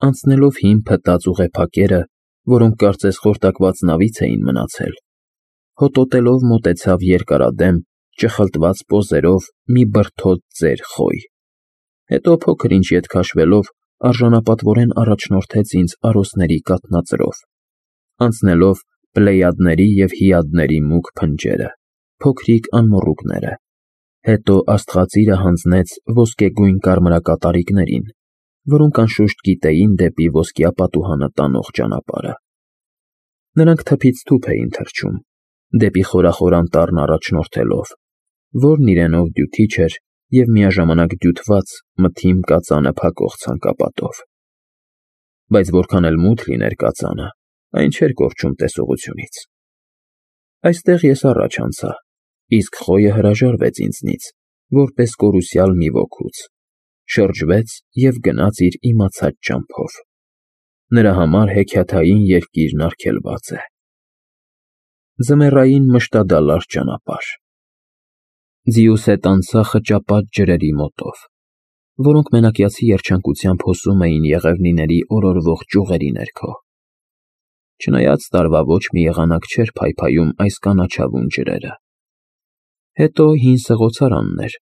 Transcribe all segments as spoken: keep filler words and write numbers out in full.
Անցնելով հին փտած ուղեփակերը, որոնք կարծես խորտակված նավից էին մնացել, հոտոտելով մոտեցավ երկարադեմ, ճխլտված պոզերով մի բրդոտ ծեր խոյ, հետո փոքր-ինչ ետ քաշվելով արժանապատվորեն առաջնորդեց ինձ արոսների կաթնածրով, անցնելով Պլեյադների և Հիադների մուգ փնջերը, փոքրիկ անմոռուկները, հետո աստղածիրը հանձնեց ոսկեգույն կարմրակատարիկներին, որոնք անշուշտ գիտեին դեպի ոսկյա պատուհանը տանող ճանապարհը։ Նրանք թփից թուփ էին թռչում, դեպի խորախոր անտառն առաջնորդելով, որն իրենով դյութիչ էր և միաժամանակ դյութված մթին կածանը փակող ցանկապատով։ Բայց որքան էլ մութ լիներ կածանը, այն չէր կորչում տեսողությունից։ Այստեղ ես առաջ անցա, իսկ խոյը հրաժարվեց ինձնից, որպես կորուսյալ մի ոգուց, շրջվեց և գնաց իր իմացած ճամփով։ Նրա համար հեքիաթային երկիրն արգելված է։ Ձմեռային մշտադալար ճանապարհ։ Ձիուս հետ անցա խճապատ ջրերի մոտով, որոնք մենակյացի երջանկությամբ հոսում էին եղևնիների օրորվող ճյուղերի ներքո։ Չնայած տարվա ոչ մի եղանակ չէր փայփայում այս կանաչավուն ջրերը։ Հետո հին սղոցարանն էր,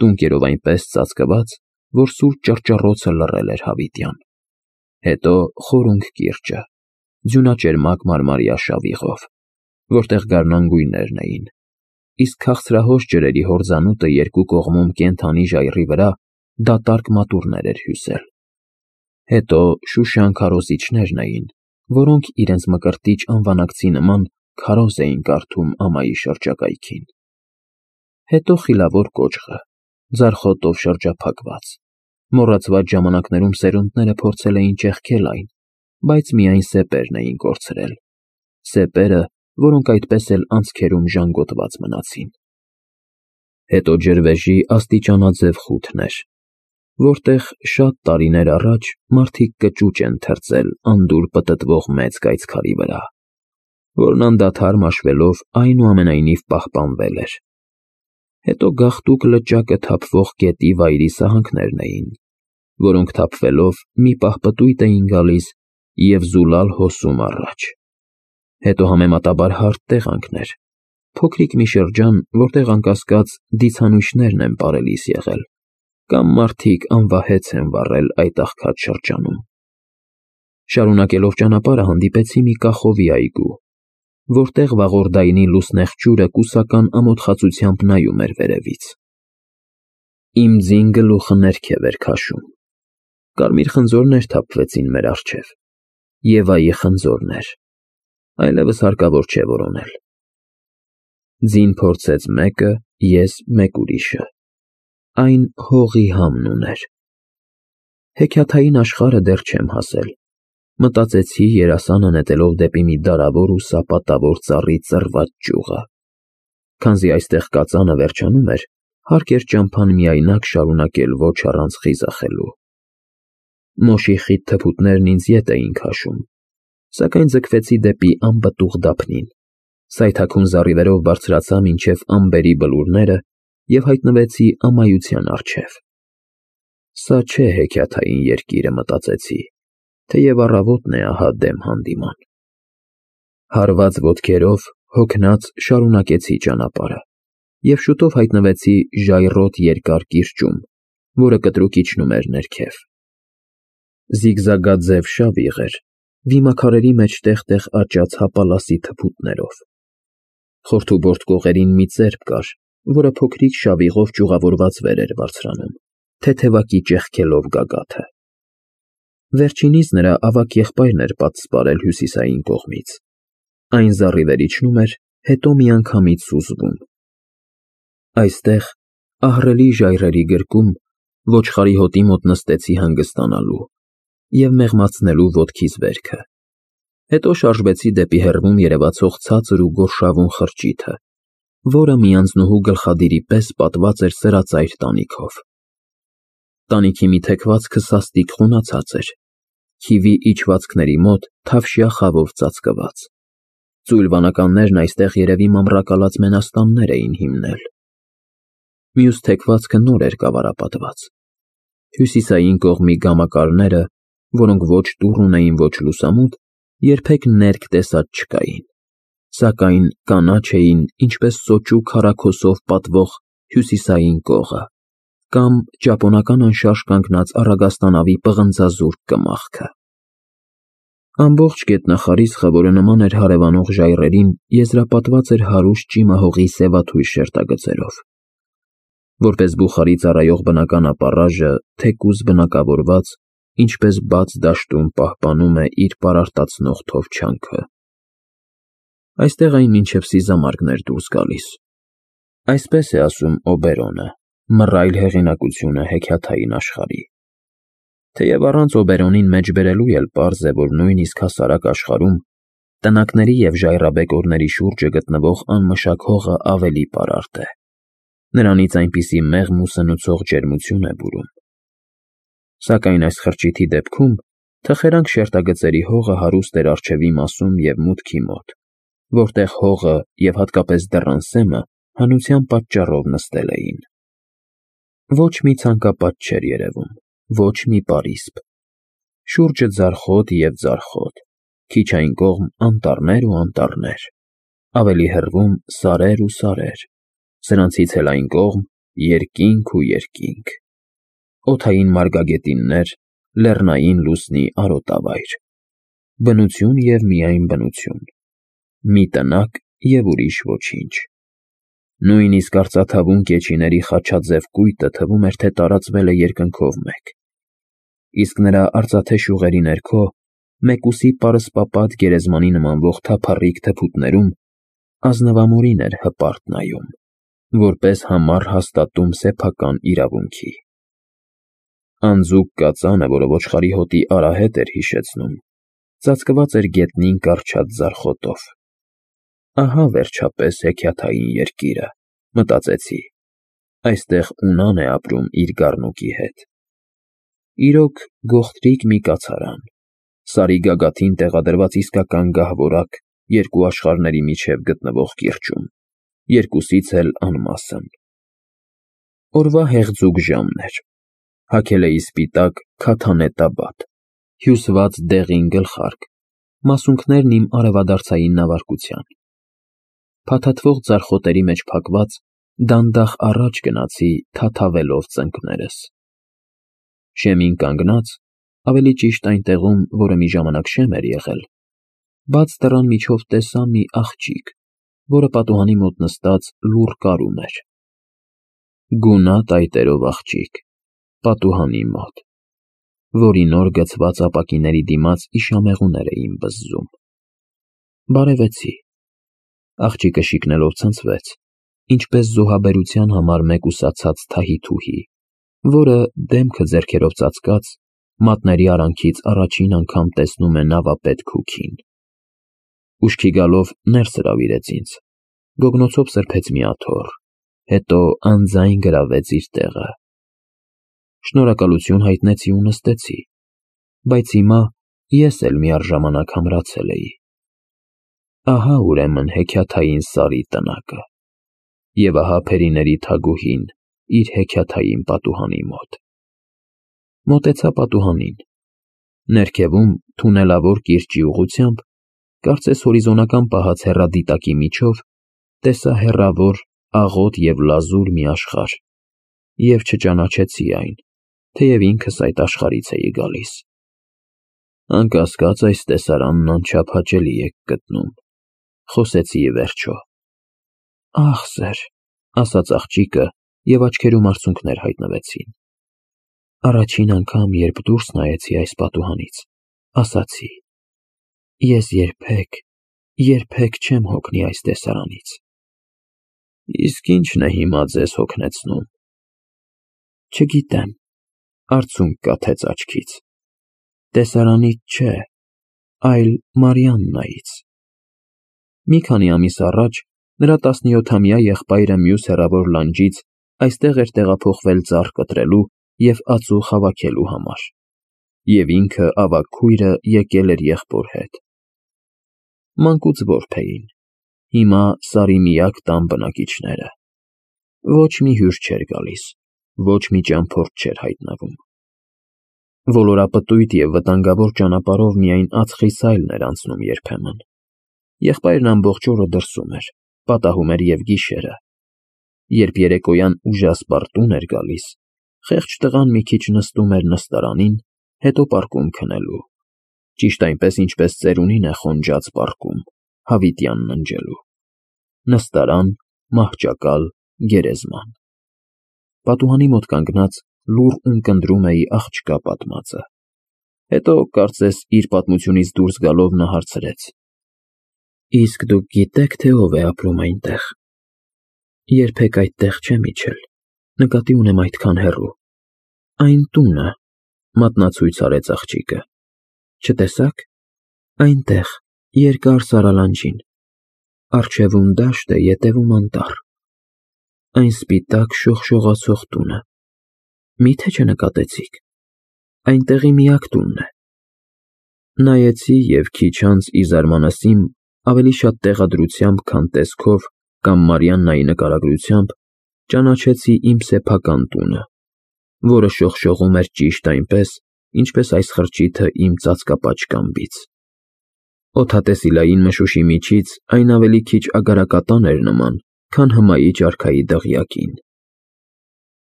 տունկերով այնպես ծածկված, որ սուր ճռճռոցը լռել էր հավիտյան։ Հետո խորունգ կիրճը, ձյունաճերմակ մարմարյա շավիղով, որտեղ գարնան գույներն էին, իսկ քաղցրահոս ջրերի հորձանուտը երկու կողմում կենդանի ժայռի վրա դատարկ մատուռներ էր հյուսել։ Հետո շուշան քարոզիչներն էին, որոնք իրենց մկրտիչ անվանակցի նման քարոզ էին կարդում ամայի շրջակայքին։ Հետո խիլավոր կոճղը, ձարխոտով շրջափակված, մոռացված ժամանակներում սերունդները փորձել էին ճեղքել այն, բայց միայն սեպերն էին կորցրել, սեպերը, որոնք այդպես էլ անցքերում ժանգոտված մնացին։ Հետո ջրվեժի աստիճանաձև խութն էր, որտեղ շատ տարիներ առաջ մարդիկ կճուճ են թրծել անդուր պտտվող մեծ կայծքարի վրա, որն անդադար մաշվելով այնուամենայնիվ պահպանվել էր։ Հետո գաղտուկ լճակը թափվող գետի վայրի սահանքներն էին, որոնք թափվելով մի պահ պտույտ էին գալիս և զուլալ հոսում առաջ։ Հետո համեմատաբար հարթ տեղանքներ, փոքրիկ մի շրջան, որտեղ անկասկած դիցանույթներն են պարելիս եղել, կամ մարդիկ անվահեց են վառել այդ աղքատ շրջանում։ Շարունակելով ճանապարհը հանդիպեցի մի կախովի այգու, որտեղ վաղորդայնի լուսնեղ ջուրը կուսական ամոթխածությամբ նայում էր վերևից։ Իմ ձին գլուխը ներքև էր քաշում։ Կարմիր խնձորներ թափվեցին մեր առջև, Եվայի խնձորներ, այլևս հարկավոր չէ որոնել։ Ձին փորձեց մեկը, ես մեկ ուրիշը։ Այն հողի համն ուներ։ Հեքիաթային աշխարհը դեռ չեմ հասել, մտածեցի երասանը նետելով դեպի մի դարավոր ու սապատավոր ծառի ծռված ճյուղը։ Քանզի այստեղ կածանը վերջանում էր, հարկ էր ճամփան միայնակ շարունակել ոչ առանց խիզախելու։ Մոշի խիտ թփուտներն ինձ ետ էին քաշում, սակայն ձգվեցի դեպի անպտուղ դափնին, սայթաքուն զառիվերով բարձրացա մինչև ամբերի բլուրները և հայտնվեցի ամայության առջև։ Սա չէ հեքիաթային երկիրը, մտածեցի, թեև առավոտն է ահա դեմ հանդիման։ Հարված ոտքերով, հոգնած շարունակեցի ճանապարհը և շուտով հայտնվեցի ժայռոտ երկար կիրճում, որը կտրուկ իջնում էր ներքև։ Զիգզագաձև շավիղ էր, վիմաքարերի մեջ տեղ֊տեղ աճած հապալասի թփուտներով։ Խորթուբորդ կողերին մի ծերբ կար, որը փոքրիկ շավիղով ճյուղավորված վեր էր բարձրանում, թեթևակի ճեղքելով գագաթը։ Վերջինիս նրա ավագ եղբայրն էր պատսպարել հյուսիսային կողմից։ Այն զառիվեր իջնում էր, հետո միանգամից սուզվում։ Այստեղ, ահռելի ժայռերի գրկում, ոչխարի հոտի մոտ նստեցի հանգստանալու և մեղմացնելու ոտքիս վերքը։ Հետո շարժվեցի դեպի հեռվում երևացող ցածր ու գորշավուն խրճիթը, որը մի անձնուհու գլխադիրի պես պատված էր սրածայր տանիքով։ Տանիքի մի թեքվածքը սաստիկ խունացած էր, քիվի իջվածքների մոտ թավշյա խավով ծածկված։ Ծույլ վանականներն այստեղ երևի մամռակալած մենաստաններ էին հիմնել։ Մյուս թեքվածքը նոր էր կավարապատված։ Հյուսիսային կողմի գամակալները որոնք ոչ դուռ ունեին, ոչ լուսամուտ, երբեք ներք տեսած չկային, սակայն կանաչ էին, ինչպես սոճու քառաքոսով պատվող հյուսիսային կողը կամ ճապոնական անշարժ կանգնած առագաստանավի պղնձազուրկ կմախքը։ Ամբողջ գետնախարիսխը, որը նման էր հարևանող ժայռերին, եզրապատված էր հարուստ ճիմահողի սևաթույր շերտագծերով։ Որպես բուխարի ծառայող բնական ապառաժը, թեկուզ բնակավորված, ինչպես բաց դաշտում պահպանում է իր պարարտացնող թովչանքը։ Այստեղ այն մինչև սիզամարգն էր դուրս գալիս։ Այսպես է ասում Օբերոնը, մռայլ հեղինակությունը հեքիաթային աշխարհի։ Թեև առանց Օբերոնին մեջբերելու էլ պարզ է, որ նույնիսկ հասարակ աշխարհում տնակների և ժայռաբեկորների շուրջը գտնվող անմշակ հողը ավելի պարարտ է։ Նրանից այնպիսի մեղմ ու սնուցող ջերմություն է բուրում։ Սակայն այս խրճիթի դեպքում թխերանք շերտագծերի հողը հարուստ էր առջևի մասում և մուտքի մոտ, որտեղ հողը և հատկապես դռան սեմը հանության պատճառով նստել էին։ Ոչ մի ցանկապատ չէր երևում, ոչ մի պարիսպ։ Շուրջը ձարխոտ և ձարխոտ, քիչ այն կողմ անտառներ ու անտառներ, ավելի հեռվում սարեր ու սարեր, սրանցից էլ այն կողմ երկինք ու երկինք, օդային մարգագետիններ, լեռնային լուսնի արոտավայր, բնություն և միայն բնություն, մի տնակ և ուրիշ ոչինչ։ Նույնիսկ արծաթավուն կեչիների խաչաձև կույտը թվում էր, թե տարածվել է երկնքով մեկ, իսկ նրա արծաթե շյուղերի ներքո, մեկուսի պարսպապատ գերեզմանի նմանվող թափառիկ թփուտներում ազնվամորին էր հպարտ նայում, որպես համառ հաստատում սեփական իրավունքի։ Անձուկ կածանը, որը ոչխարի հոտի արահետ էր հիշեցնում, ծածկված էր գետնին կառչած ձարխոտով։ Ահա վերջապես հեքիաթային երկիրը, մտածեցի, այստեղ Ունան է ապրում իր գառնուկի հետ։ Իրոք, գողտրիկ մի կացարան, սարի գագաթին տեղադրված իսկական գահվորակ երկու աշխարհների միջև գտնվող կիրճում, երկուսից էլ անմասն։ Օրվա հեղձուկ ժամն էր, հագել էի սպիտակ քաթանե տաբատ, հյուսված դեղին գլխարկ, մասունքներն իմ արևադարձային նավարկության։ Փաթաթվող ձարխոտերի մեջ փակված, դանդաղ առաջ գնացի թաթավելով ծնկներս։ Շեմին կանգնած, ավելի ճիշտ այնտեղում, որը մի ժամանակ շեմ էր եղել, բաց դռան միջով տեսա մի աղջիկ, որը պատուհանի մոտ նստած լուռ կարում էր։ Գունատ այտերով աղջիկ, պատուհանի մոտ, որի նոր գցված ապակիների դիմաց իշամեղուներ էին բզզում։ Բարևեցի։ Աղջիկը շիկնելով ցնցվեց, ինչպես զոհաբերության համար մեկուսացած թահիթուհի, որը, դեմքը ձեռքերով ծածկած, մատների արանքից առաջին անգամ տեսնում է նավապետ Քուքին։ Ուշքի գալով ներս հրավիրեց ինձ, գոգնոցով սրբեց մի աթոռ, հետո անձայն գրավեց իր տեղը։ Շնորհակալություն հայտնեցի ու նստեցի, բայց հիմա ես էլ միառժամանակ ամրացել էի։ Ահա ուրեմն հեքիաթային Սարի տնակը, և ահա Փերիների թագուհին իր հեքիաթային պատուհանի մոտ։ Մոտեցա պատուհանին։ Ներքևում, թունելավոր կիրճի ուղղությամբ, կարծես հորիզոնական պահած հեռադիտակի միջով, տեսա հեռավոր, աղոտ և լազուր մի աշխարհ և չճանաչեցի այն, թեև ինքս այդ աշխարհից էի գալիս։ Անկասկած, այս տեսարանն անչափ հաճելի եք գտնում, խոսեցի ի վերջո։ Ախ, սեր, ասաց աղջիկը, և աչքերում արցունքներ հայտնվեցին։ Առաջին անգամ, երբ դուրս նայեցի այս պատուհանից, ասացի. ես երբեք, երբեք չեմ հոգնի այս տեսարանից։ Իսկ ի՞նչն է հիմա ձեզ հոգնեցնում։ Չգիտեմ, արցունք կաթեց աչքից։ Տեսարանից չէ, այլ Մարիաննայից։ Մի քանի ամիս առաջ նրա տասնյոթամյա եղբայրը մյուս հեռավոր լանջից այստեղ էր տեղափոխվել ծառ կտրելու և ածուխ հավաքելու համար, և ինքը ավագ քույրը եկել էր եղբոր հետ։ Մանկուց որբ էին, հիմա Սարի միակ տան բնակիչները։ Ոչ մի հյուր չէր գալիս, ոչ մի ճամփորդ չէր հայտնվում։ Ոլորապտույտ և վտանգավոր ճանապարհով միայն ածխի սայլն էր անցնում երբեմն։ Եղբայրն ամբողջ օրը դրսում էր, պատահում էր և գիշերը։ Երբ երեկոյան ուժասպառ տուն էր գալիս, խեղճ տղան մի քիչ նստում էր նստարանին, հետո պառկում քնելու, ճիշտ այնպես, ինչպես ծերունին է խոնջած պառկում, հավիտյան ննջելու։ Նստարան, մահճակալ, գերեզման։ Պատուհանի մոտ կանգնած լուռ ունկնդրում էի աղջկա պատմածը։ Հետո, կարծես իր պատմությունից դուրս գալով, նա հարցրեց. Իսկ դուք գիտե՞ք, թե ով է ապրում այնտեղ։ Երբեք այդտեղ չեմ իջել, նկատի ունեմ այդքան հեռու։ Այն տունը, մատնացույց արեց աղջիկը, չտեսա՞ք։ Այնտեղ, երկար սարալանջին, առջևում դաշտ է, ետևում անտառ։ Այն սպիտակ շողշողացող տունը, մի՞թե չնկատեցիք։ Այնտեղի միակ տունն է։ Նայեցի և քիչ անց ի զարմանս իմ ավելի շատ տեղադրությամբ, քան տեսքով կամ Մարիաննայի նկարագրությամբ, ճանաչեցի իմ սեփական տունը, որը շողշողում էր ճիշտ այնպես, ինչպես այս խրճիթը իմ ծածկապաճկամբից։ Օդատեսիլային մշուշի միջից այն ավելի քիչ ագարակատան էր նման, քան հմայիչ արքայի դղյակին։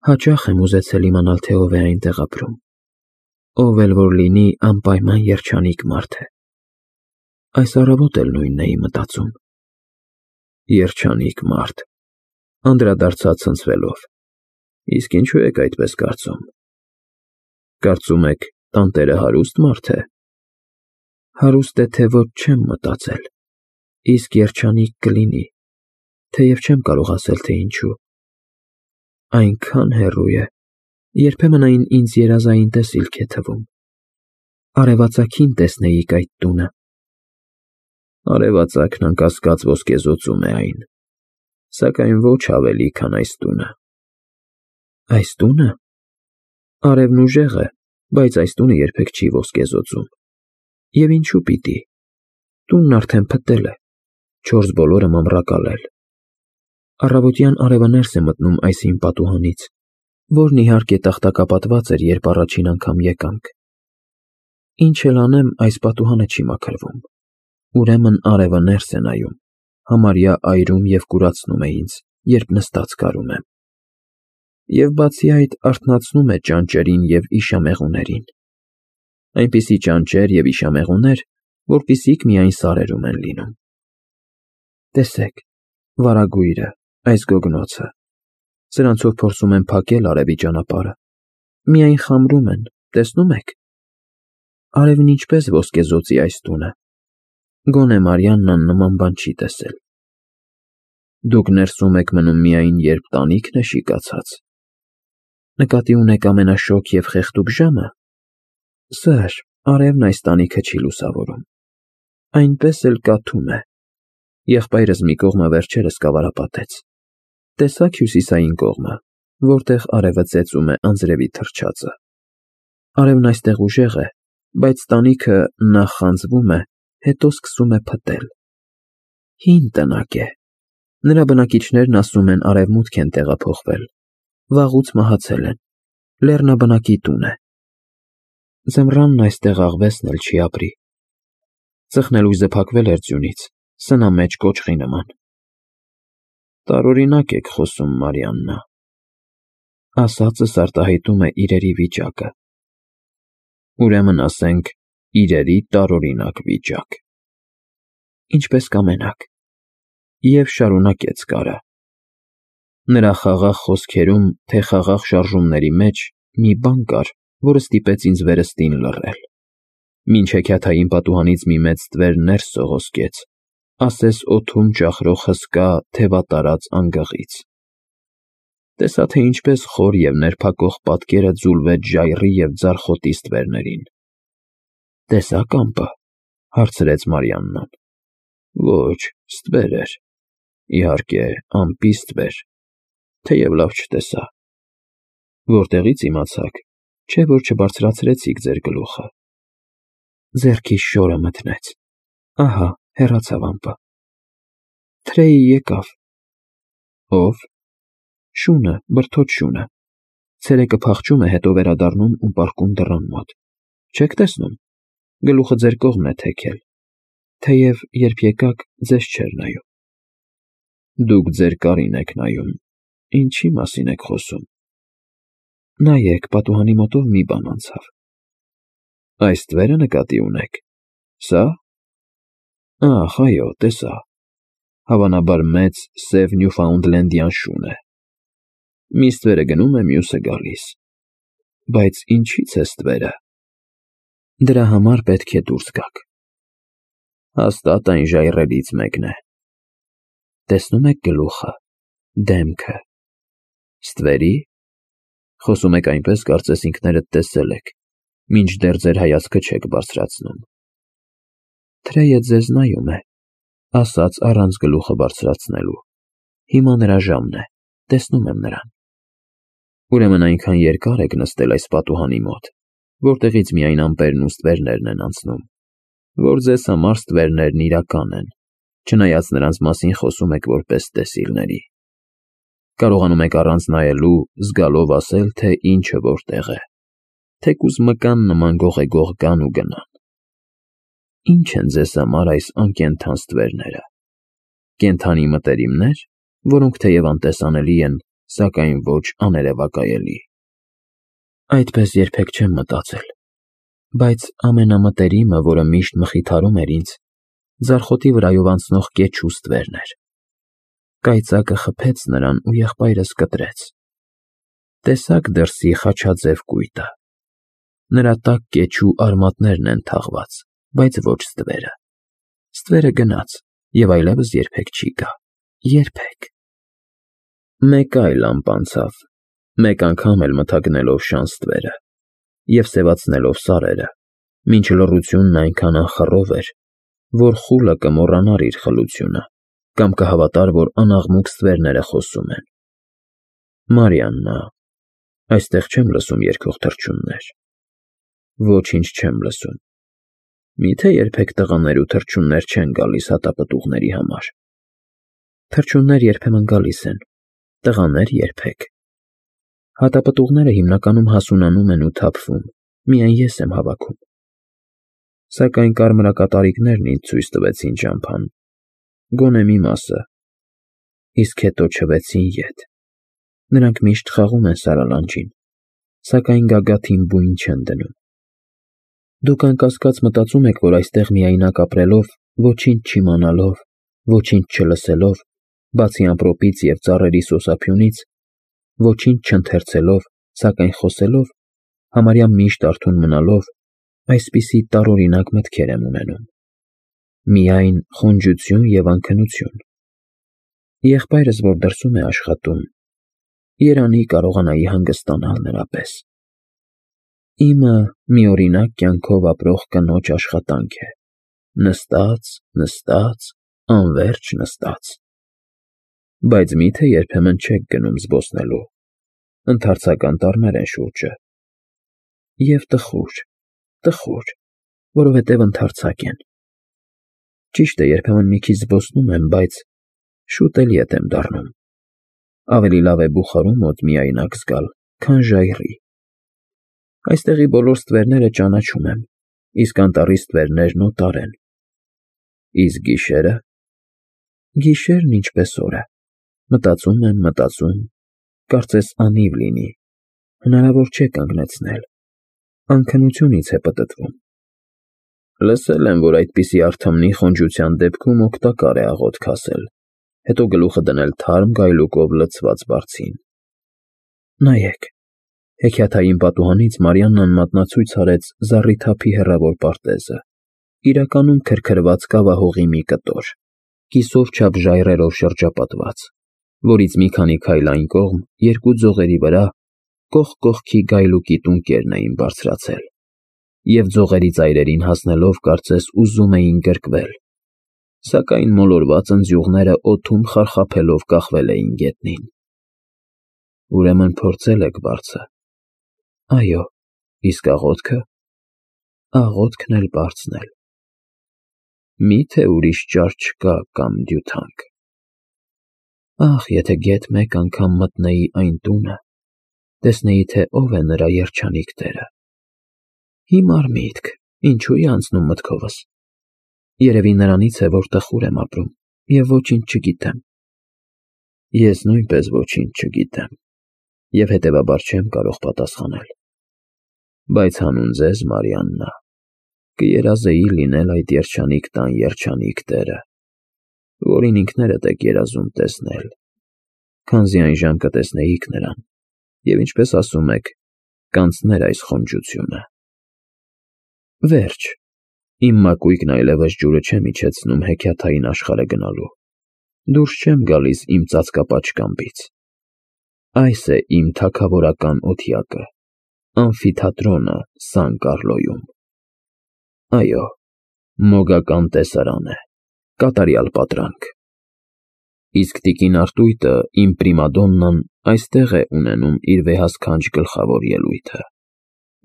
Հաճախ եմ ուզեցել իմանալ, թե ով է այնտեղ ապրում։ Ով էլ որ լինի, անպայման երջանիկ մարդ է։ Այս առավոտ էլ նույնն էի մտածում։ Երջանիկ մարդ, անդրադարձա ցնցվելով։ Իսկ ինչու եք այդպես կարծում։ Կարծում եք, տանտերը հարուստ մարդ է։ Հարուստ է, թե ոչ, չեմ մտածել, իսկ երջանիկ կլինի, թեև չեմ կարող ասել, թե ինչու։ Այնքան հեռու է, երբեմն այն ինձ երազային տեսիլք է թվում։ Արևածագին տեսնեիք այդ տունը։ Արևածագն անկասկած ոսկեզօծում է այն, սակայն ոչ ավելի, քան այս տունը։ Այս տունը։ Արևն ուժեղ է, բայց այս տունը երբեք չի ոսկեզօծում։ Եվ ինչու պիտի։ Տունն արդեն փտել է, չորս բոլորը մամռակալել։ Առավոտյան արևը ներս է մտնում այս հին պատուհանից, որն իհարկե տախտակապատված էր, երբ առաջին անգամ եկանք։ Ինչ էլ անեմ, այս պատուհանը չի մաքրվում։ Ուրեմն արևը ներս է նայում, համարյա այրում և կուրացնում է ինձ, երբ նստած կարում եմ։ Եվ բացի այդ, արթնացնում է ճանճերին և իշամեղուներին։ Այնպիսի ճանճեր և իշամեղուներ, որպիսիք միայն սարերում են լինում։ Տեսեք, վարագույրը, այս գոգնոցը։ Սրանցով փորձում են փակել արևի ճանապարհը։ Միայն խամրում են, տեսնու՞մ եք։ Արևն ինչպես ոսկեզօծի այս տունը։ Գոնե Մարիաննան նման բան չի տեսել։ Դուք ներսում եք մնում միայն, երբ տանիքն է շիկացած։ Նկատի ունեք ամենաշոգ և խեղդուկ ժամը։ Սըր, արևն այս տանիքը չի լուսավորում։ Այնպես էլ կաթում է։ Եղբայրս մի կողմը վերջերս կավարապատեց։ Տեսա՞ք հյուսիսային կողմը, որտեղ արևը ծեծում է անձրևի թռչածը։ Արևն այստեղ ուժեղ է, բայց տանիքը նախ խանձվում է, հետո սկսում է փտել։ Հին տնակ է։ Նրա բնակիչներն ասում են արևմուտք են տեղափոխվել։ Վաղուց մահացել են։ Լեռնաբնակի տուն է։ Ձմռանն այստեղ աղվեսն էլ չի ապրի։ Ծխնելույզը փակվել էր ձյունից, սնամեջ կոճղի նման։ Տարօրինակ եք խոսում, Մարիաննա։ Ասածս արտահայտում է իրերի վիճակը։ Ուրեմն ասենք, իրերի տարօրինակ վիճակ։ Ինչպես կամենաք։ Եվ շարունակեց կարը։ Նրա խաղաղ խոսքերում, թե խաղաղ շարժումների մեջ մի բան կար, որը ստիպեց ինձ վերստին լռել։ Մինչ հեքիաթային պատուհանից մի մեծ ստվեր ներս սողոսկեց, ասես օդում ճախրող հսկա, թևատարած անգղից։ Տեսա, թե ինչպես խոր և ներփակող պատկերը ձուլվեց ժայռի և ձարխոտի ստվերներին։ Տեսա՞ք ամպը, հարցրեց Մարիաննան։ Ոչ, ստվեր էր։ Իհարկե, ամպի ստվեր, թեև լավ չտեսա։ Որտեղի՞ց իմացաք, չէ՞ որ չբարձրացրեցիք ձեր գլուխը։ Ձեռքիս շորը մթնեց։ Ահա, հեռացավ ամպը։ Թրեյի եկավ։ Ո՞վ։ Շունը, բրդոտ շունը։ Ցերեկը փախչում է, հետո վերադառնում ու պառկում դռան մոտ։ Չեք տեսնում, գլուխը ձեր կողմն է թեքել, թեև երբ եկաք, ձեզ չէր նայում։ Դուք ձեր կարին եք նայում, ինչի մասին եք խոսում։ Նայեք, պատուհանի մոտով մի բան անցավ։ Այս ստվերը նկատի ունեք։ Սա՞։ Ահ, այո, տեսա։ Հավանաբար մեծ սև Նյուֆաունդլենդյան շուն է։ Մի ստվերը գնում է, մյուսը գալիս։ Բայց ինչի՞ց է ստվերը։ Դրա համար պետք է դուրս գաք։ Հաստատ այն ժայռերից մեկն է։ Տեսնում եք գլուխը, դեմքը։ Ստվերի՞։ Խոսում եք այնպես, կարծես ինքներդ տեսել եք, մինչդեռ ձեր հայացքը չեք բարձրացնում։ Թրեյը ձեզ նայում է, ասաց առանց գլուխը բարձրացնելու։ Հիմա նրա ժամն է, տեսնում եմ նրան։ Ուրեմն այնքան երկար եք նստել այս պատուհանի մոտ, որտեղից միայն ամպերն ու ստվերներն են անցնում, որ ձեզ համար ստվերներն իրական են, չնայած նրանց մասին խոսում եք որպես տեսիլների։ Կարողանում եք առանց նայելու, զգալով ասել, թե ինչը որտեղ է, թեկուզ մկան նման գողեգող գան ու գնան։ Ինչ են ձեզ համար այս անկենդան ստվերները։ Կենդանի մտերիմներ, որոնք թեև անտեսանելի են, սակայն ոչ աներևակայելի։ Այդպես երբեք չեմ մտածել, բայց ամենամտերիմը, որը միշտ մխիթարում էր ինձ, ձարխոտի վրայով անցնող կեչու ստվերն էր։ Կայծակը խփեց նրան ու եղբայրս կտրեց։ Տեսաք դրսի խաչաձև կույտը։ Նրա տակ կեչու արմատներն են թաղված, բայց ոչ ստվերը։ Ստվերը գնաց և այլևս երբեք չի գա։ Երբեք։ Մեկ այլ ամպ անցավ, մեկ անգամ էլ մթագնելով շան ստվերը և սևացնելով սարերը, մինչ լռությունն այնքան անխռով էր, որ խուլը կմոռանար իր խլությունը կամ կհավատար, որ անաղմուկ ստվերները խոսում են։ Մարիաննա, այստեղ չեմ լսում երգող թռչուններ։ Ոչինչ չեմ լսում։ Միթե երբեք տղաներ ու թռչուններ չեն գալիս հատապտուղների համար։ Թռչուններ երբեմն գալիս են, տղաներ երբեք։ Հատապտուղները հիմնականում հասունանում են ու թափվում, միայն ես եմ հավաքում։ Սակայն կարմրակատարիկներն ինձ ցույց տվեցին ճամփան, գոնե մի մասը, իսկ հետո չվեցին ետ։ Նրանք միշտ խաղում են սարալանջին, սակայն գագաթին բույն չեն դնում։ Դուք անկասկած մտածում եք, որ այստեղ միայնակ ապրելով, ոչինչ չիմանալով, ոչինչ չլսելով, բացի ամպրոպից և ծառերի սոսափյունից, ոչինչ չընթերցելով, սակայն խոսելով, համարյա միշտ արթուն մնալով, այսպիսի տարօրինակ մտքեր եմ ունենում։ Միայն խոնջություն և անքնություն։ Եղբայրս, որ դրսում է աշխատում, երանի կարողանայի հանգստանալ նրա պես։ Իմը մի օրինակ կյանքով ապրող կնոջ աշխատանք է, նստած, նստած, անվերջ նստած։ Բայց մի՞թե երբեմն չեք գնում զբոսնելու, ընդարձակ անտառներ են շուրջը։ Եվ տխուր, տխուր, որովհետև ընդարձակ են։ Ճիշտ է, երբեմն մի քիչ զբոսնում եմ, բայց շուտ էլ ետ եմ դառնում։ Ավելի լավ է բուխարու մոտ միայնակ զգալ, քան ժայռի։ Այստեղի բոլոր ստվերները ճանաչում եմ, իսկ անտառի ստվերներն օտար են։ Իսկ գիշերը։ Գիշերն ինչպես օրը։ Մտածում եմ, մտածում, կարծես անիվ լինի, հնարավոր չէ կանգնեցնել, անքնությունից է պտտվում։ Լսել եմ, որ այդպիսի արթմնի խոնջության դեպքում օգտակար է աղոթք ասել, հետո գլուխը դնել թարմ գայլուկով լցված բարձին։ Նայեք, հեքիաթային պատուհանից Մարիաննան մատնացույց արեց զառիթափի հեռավոր պարտեզը, իրականում քրքրված կավահողի մի կտոր, կիսով չափ ժայռերով շրջապատված, որից մի քանի քայլ այն կողմ, երկու ձողերի վրա, կողք կողքի գայլուկի տունկերն էին բարձրացել, և ձողերի ծայրերին հասնելով կարծես ուզում էին գրկվել, սակայն մոլորված ընձյուղները օդում խարխափելով կախվել էին գետնին։ Ուրեմն փորձել եք բարձը։ Այո, իսկ աղոթքը։ Աղոթքն էլ բարձն էլ։ Մի՞թե ուրիշ ճար չկա կամ դյութանք։ Ախ, եթե գեթ մեկ անգամ մտնեի այն տունը, տեսնեի, թե ով է նրա երջանիկ տերը։ Հիմար միտք, ինչու է անցնում մտքովս։ Երևի նրանից է, որ տխուր եմ ապրում և ոչինչ չգիտեմ։ Ես նույնպես ոչինչ չգիտեմ և հետևաբար չեմ կարող պատասխանել։ Բայց հանուն ձեզ, Մարիաննա, կերազեի լինել այդ երջանիկ տան երջանիկ տերը, որին ինքներդ եք երազում տեսնել, քանզի այժմ կտեսնեիք նրան և, ինչպես ասում եք, կանցներ այս խոնջությունը։ Վերջ, իմ մակույկն այլևս ջուրը չեմ իջեցնում հեքիաթային աշխարհը գնալու, դուրս չեմ գալիս իմ ծածկապատ շքամբից։ Այս է իմ թագավորական օթյակը, ամֆիթատրոնը Սան Կառլոյում։ Այո, մոգական տեսարան է, կատարյալ պատրանք։ Իսկ տիկին Արտույտը, իմ պրիմադոննան, այստեղ է ունենում իր վեհասքանչ գլխավոր ելույթը,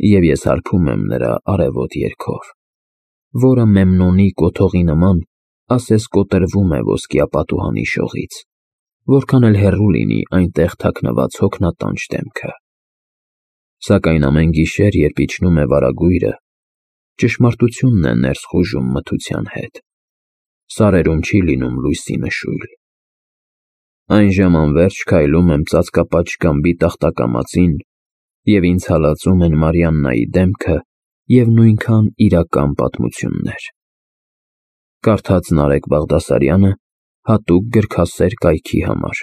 և ես հարբում եմ նրա արևոտ երգով, որը Մեմնոնի կոթողի նման ասես կոտրվում է ոսկյա պատուհանի շողից, որքան էլ հեռու լինի այնտեղ թաքնված հոգնատանջ դեմքը։ Սակայն ամեն գիշեր, երբ իջնում է վարագույրը, ճշմարտությունն է ներս խուժում մթության հետ, սարերում չի լինում լույսի նշույլ։ Այնժամ անվերջ քայլում եմ ծածկապատ շքամբի տախտակամածին, և ինձ հալածում են Մարիաննայի դեմքը և նույնքան իրական պատմություններ։ Կարդաց Նարեկ Բաղդասարյանը հատուկ գրքասեր կայքի համար։